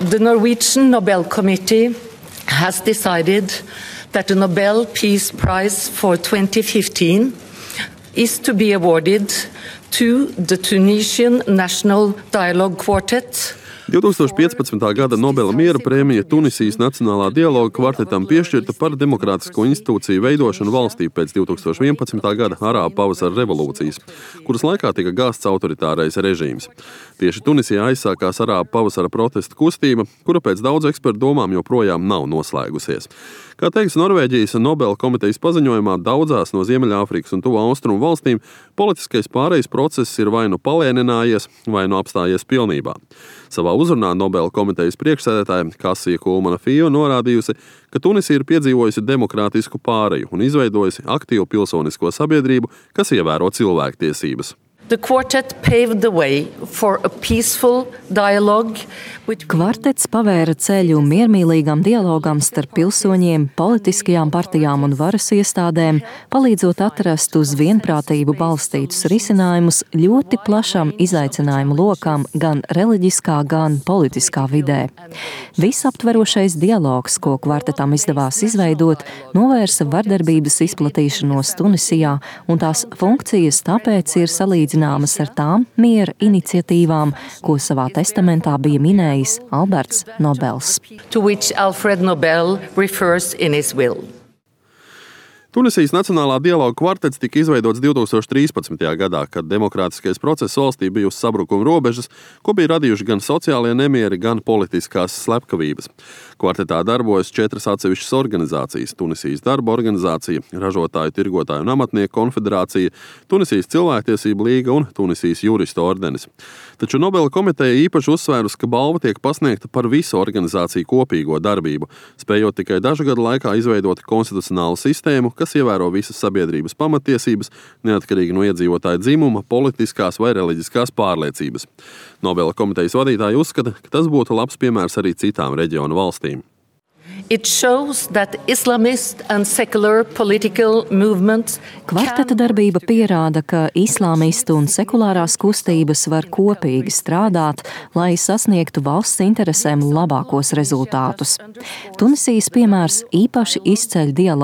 The Norwegian Nobel Committee has decided that the Nobel Peace Prize for 2015 is to be awarded to the Tunisian National Dialogue Quartet. 2015. Gada Nobela miera prēmija Tunisijas Nacionālā dialoga kvartetam piešķirta par demokrātisko institūciju veidošanu valstī pēc 2011. Gada Arābu pavasara revolūcijas, kuras laikā tika gāsts autoritārais režīms. Tieši Tunisijā aizsākās Arābu pavasara protesta kustība, kura pēc daudzu ekspertu domām joprojām nav noslēgusies. Kā teiks Norvēģijas Nobela komitejas paziņojumā, daudzās no Ziemeļāfrikas un Tuvu Austrumu valstīm politiskais pārejas process ir vai nu palēninājies, vai nu apstājies pilnībā. Savā uzrunā Nobela komitejas priekšsēdētāja Kasija Kulmana-Fio norādījusi, ka Tunisija ir piedzīvojusi demokrātisku pāreju un izveidojusi aktīvu pilsonisko sabiedrību, kas ievēro cilvēktiesības. The quartet paved the way for a peaceful dialogue. Kvartets pavēra ceļu miermīlīgam dialogam starp pilsoņiem, politiskajām partijām un varas iestādēm, palīdzot atrast uz vienprātību balstītus risinājumus ļoti plašam izaicinājumu lokam gan reliģiskā, gan politiskā vidē. Visaptverošais dialogs, ko kvartetam izdevās izveidot, novērsa vardarbības izplatīšanos Tunisijā, un tās funkcijas tāpēc ir salīdzināmas ar tām miera iniciatīvām, ko savā testamentā bija minējis Alberts Nobels. To which Alfred Nobel refers in his will. Tunisijas Nacionālā dialoga kvartets tika izveidots 2013. Gadā, kad demokrātiskais process valstī bija uz sabrukuma robežas, ko bija radījuši gan sociālie nemieri, gan politiskās slepkavības. Kvartetā darbojas 4 atsevišķas organizācijas – Tunisijas darba organizācija, Ražotāju, tirgotāju un amatnieku konfederācija, Tunisijas cilvēktiesību līga un Tunisijas juristu ordenis. Taču Nobela komiteja īpaši uzsvērus, ka balva tiek pasniegta par visu organizāciju kopīgo darbību, spējot tikai dažu gadu laikā izveidot konstitucionālu sistēmu, kas ievēro visas sabiedrības pamatiesības, neatkarīgi no iedzīvotāja dzimuma, politiskās vai reliģiskās pārliecības. Nobela komitejas vadītāji uzskata, ka tas būtu labs piemērs arī citām reģionu valstīm. It shows that Islamist and secular political movements Kvarteta darbība pierāda, ka islāmistu un sekulārās kustības var kopīgi strādāt, lai sasniegtu valsts interesēm labākos rezultātus. Tunisijas piemērs īpaši izceļ dialogu